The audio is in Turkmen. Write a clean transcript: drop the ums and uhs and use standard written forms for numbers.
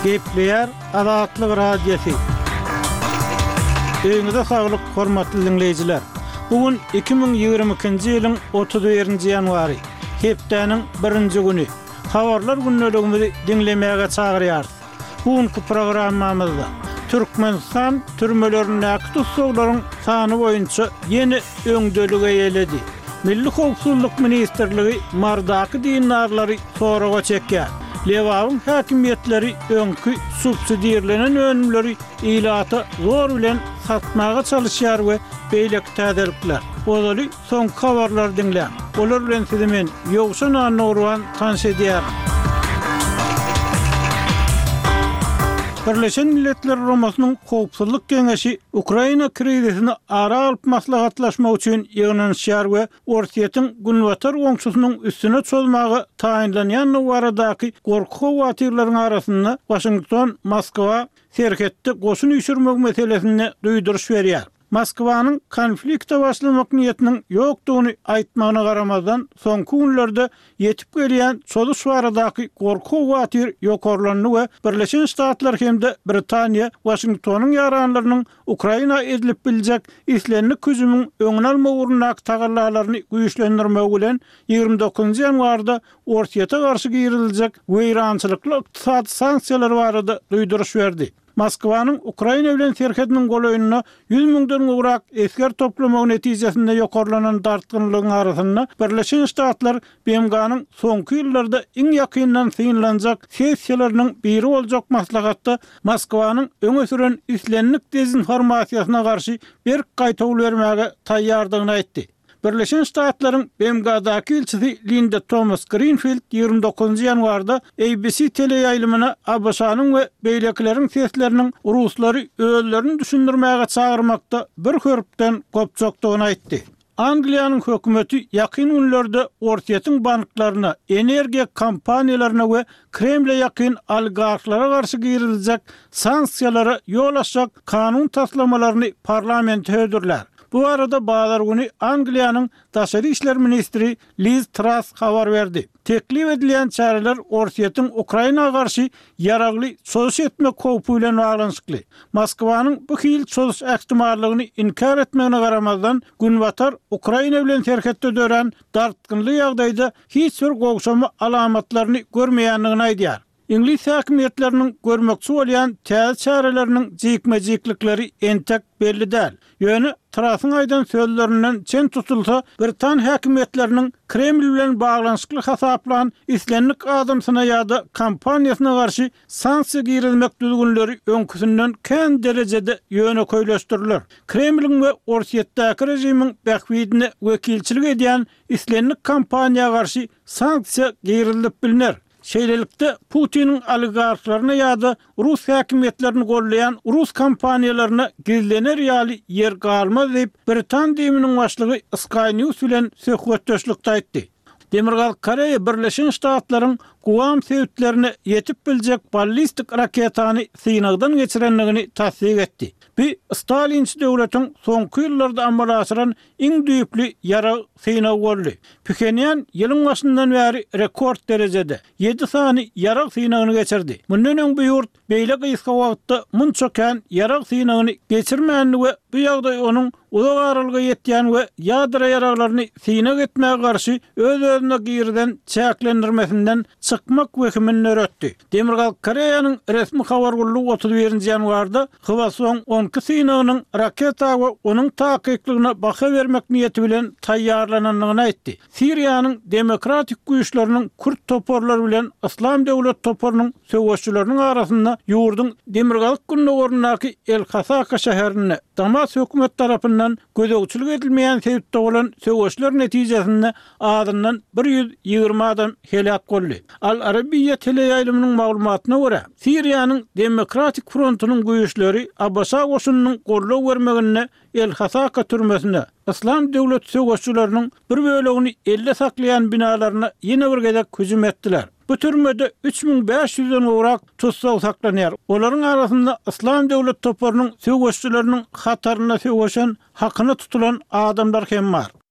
Gepleýär Azatlyk Radiosy. Öýüňize saglyk, hormatly diňleýjiler! Bu gün 2022-nji ýylyň 31-nji ýanwary, hepdäniň birinji güni. Habarlar gündeligimizi diňlemäge çagyrýarys. Bu günki programmamyzda Türkmenistan türmelerindäki tussaglaryň sany boýunça ýene öňdeligi eýeledi. Milli howpsuzlyk ministrligi Marydaky dindarlary soraga çekýär. Lebabyň häkimiýetleri öňki subsidirlenen önümleri ilata zor bilen satmaga çalyşýar we beýleki täzelikler. Ozaly Soňky habarlary diňläň. Olar bilen sizi men, Ýowşan Annagurban tanyş edýärin. Birleşen Milletler Guramasynyň Howpsuzlyk Geňeşi Ukraina krizisini ara alyp maslahatlaşmak üçin ýygnanyşýar we Orsýetiň günbatar goňşusynyň üstüne çozmaga taýynlanýandygy baradaky gorky-howatyrlaryň arasynda Waşington Moskwa serhetde goşun üýşürmek meselesinde duýduryş berýär. Moskwanyň konflikte başlamak niýetiniň ýokdugyny aýtmagyna garamazdan, soňky günlerde ýetip gelýän çozuş baradaky gorky-howatyr ýokarlandy we Birleşen Ştatlar hem-de Britaniýa Waşingtonyň ýaranlarynyň Ukraina edilip biljek islendik hüjümiň öňüni almak ugrundaky tagallalaryny güýçlendirmegi bilen 29 ýanwarda Orsýete garşy giriziljek weýrançylykly ykdysady sanksiýalar barada duýduryş berdi. Moskwanyň Ukraina bilen serhediniň golaýynda 100 müňden gowrak esger toplamagy netijesinde ýokarlanan dartgynlygyň arasynda Birleşen Ştatlar BMG-niň soňky ýyllarda iň ýakyndan synlanjak sessiýalarynyň biri boljak maslahatda Moskwanyň öňe süren islendik dezinformasiýasyna garşy berk gaýtawul bermäge taýýardygyny aýtdy. Birleşen Ştatlaryň BMG-daky ilçisi Linda Tomas-Grinfild 29-njy ýanwarda ABC teleýaýlymyna ABŞ-nyň we beýlekileriň sesleriniň ruslary özlerini düşündirmäge çagyrmakda bir hörpden gopjakdygyny aýtdy. Angliýanyň hökümeti ýakyn günlerde Orsýetiň banklaryna, energiýa kompaniýalaryna we Kremle ýakyn oligarhlara garşy giriziljek sanksiýalara ýol açjak kanun taslamalaryny parlamente hödürlär. Bu barada bazar güni Angliýanyň daşary işler ministri Liz Trass habar berdi. Teklip edilýän çäreler Orsýetiň Ukraina garşy ýaragly çozuş etmek howpy bilen baglanyşykly. Moskwanyň bu hili çozuş ähtimallygyny inkär etmegine garamazdan, Günbatar Ukraina bilen serhetde dörän dartgynly ýagdaýda hiç bir gowşama alamatlaryny görmeýändigini aýdýar. Iňlis häkimiýetleriniň görmekçi bolýan täze çäreleriniň jikme-jiklikleri entek belli däl. Ýöne Trasyň aýdan sözlerinden çen tutulsa, britan häkimiýetleriniň Kreml bilen baglanyşykly hasaplan islendik adamsyna ýa-da kompaniýasyna garşy sanksiýa girizmek düzgünleri öňküsinden kän derejede ýönekeýleşdiriler. Kremliň we Orsýetdäki režimiň bähbidine wekilçilik edýän islendik kompaniýa garşy sanksiýa girizilip bilner. Şeýlelikde, Putiniň oligarhlaryna ýa-da rus häkimiýetlerini goldaýan rus kompaniýalaryna gizlener ýaly ýer galmaz diýip, britan DIM-niň başlygy Sky News bilen söhbetdeşlikde aýtdy. Demirgazyk Koreýa Birleşen Ştatlaryň Guam sebitlerine ýetip biljek ballistik raketany synagdan geçirendigini tassyk etdi. Bu stalinçi döwletiň soňky ýyllarda amala aşyran iň düýpli ýarag synagy boldy. Phenýan ýylyň başyndan bäri rekord derejede, ýedi sany ýarag synagyny geçirdi. Mundan öň bu ýurt beýle gysga wagtda munça kän ýarag synagyny geçirmändi we bu ýagdaý onuň uzak aralyga ýetýän we ýadro ýaraglaryny synag etmäge garşy öz-özüne girizen çäklendirmesinden çykmak wehimini döretdi. Demirgazyk Koreýanyň resmi habar gullugy 31-nji ýanwarda Hwasong 12 synagynyň raketa we onuň takyklygyna baha bermek niýeti bilen taýýarlanandygyny aýtdy. Siriýanyň demokratik güýçleriniň kürt toparlary bilen Yslam döwlet toparynyň söweşçileriniň arasynda ýurduň demirgazyk-gündogaryndaky El-Hasaka şäherinde Damas hökümeti tarapyndan gözegçilik edilmeýän sebitde bolan söweşler netijesinde azyndan 120 adam heläk boldy. Al Arabiýa teleýaýlymynyň maglumatyna görä, Siriýanyň Demokratik frontunyň güýçleri ABŞ goşunynyň goldaw bermeginde El-Hasaka türmesine, Yslam döwleti söweşçileriniň bir bölegini elde saklaýan binalaryna ýene bir gezek hüjüm etdiler. Bu türmede 3500-den gowrak tussag saklanýar. Olaryň arasynda Yslam döwleti toparynyň söweşçileriniň hatarynda söweşen, hakyna tutulan adamlar hem bar.